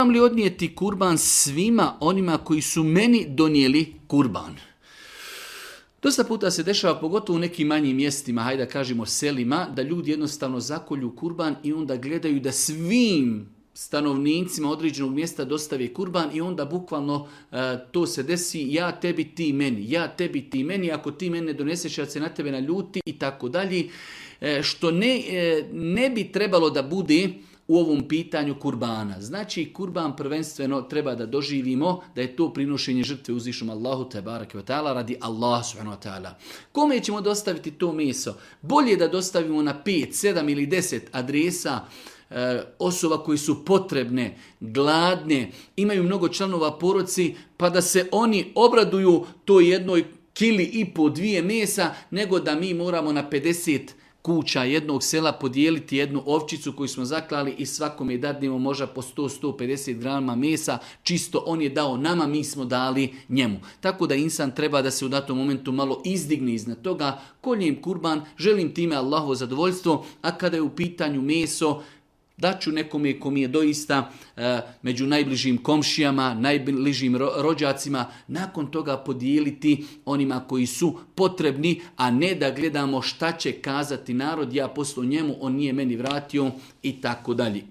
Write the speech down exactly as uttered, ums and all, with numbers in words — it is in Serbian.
Moram li odnijeti kurban svima onima koji su meni donijeli kurban? Dosta puta se dešava, pogotovo u nekim manjim mjestima, hajde da kažemo selima, da ljudi jednostavno zakolju kurban i onda gledaju da svim stanovnicima određenog mjesta dostave kurban i onda bukvalno e, to se desi ja tebi, ti meni, ja tebi, ti meni, ako ti mene doneseš ja se na tebe naljuti i tako dalje, e, što ne, e, ne bi trebalo da bude u ovom pitanju kurbana. Znači, kurban prvenstveno treba da doživimo da je to prinošenje žrtve uzvišnom Allahu te bareke ve taala radi Allah subhanahu wa taala. Kome ćemo dostaviti to meso? Bolje da dostavimo na pet, sedam ili deset adresa e, osoba koji su potrebne, gladne, imaju mnogo članova porodice, pa da se oni obraduju toj jednoj kili i po dvije mesa, nego da mi moramo na pedeset kuća jednog sela podijeliti jednu ovčicu koju smo zaklali i svakome dadnemo možda po sto do sto pedeset grama mesa, čisto on je dao nama, mi smo dali njemu. Tako da insan treba da se u datom momentu malo izdigne iznad toga, koljem kurban, želim time Allahovo zadovoljstvo, a kada je u pitanju meso, daću nekome ko mi je doista e, među najbližim komšijama, najbližim ro, rođacima, nakon toga podijeliti onima koji su potrebni, a ne da gledamo šta će kazati narod, ja poslu njemu, on nije meni vratio i tako dalje.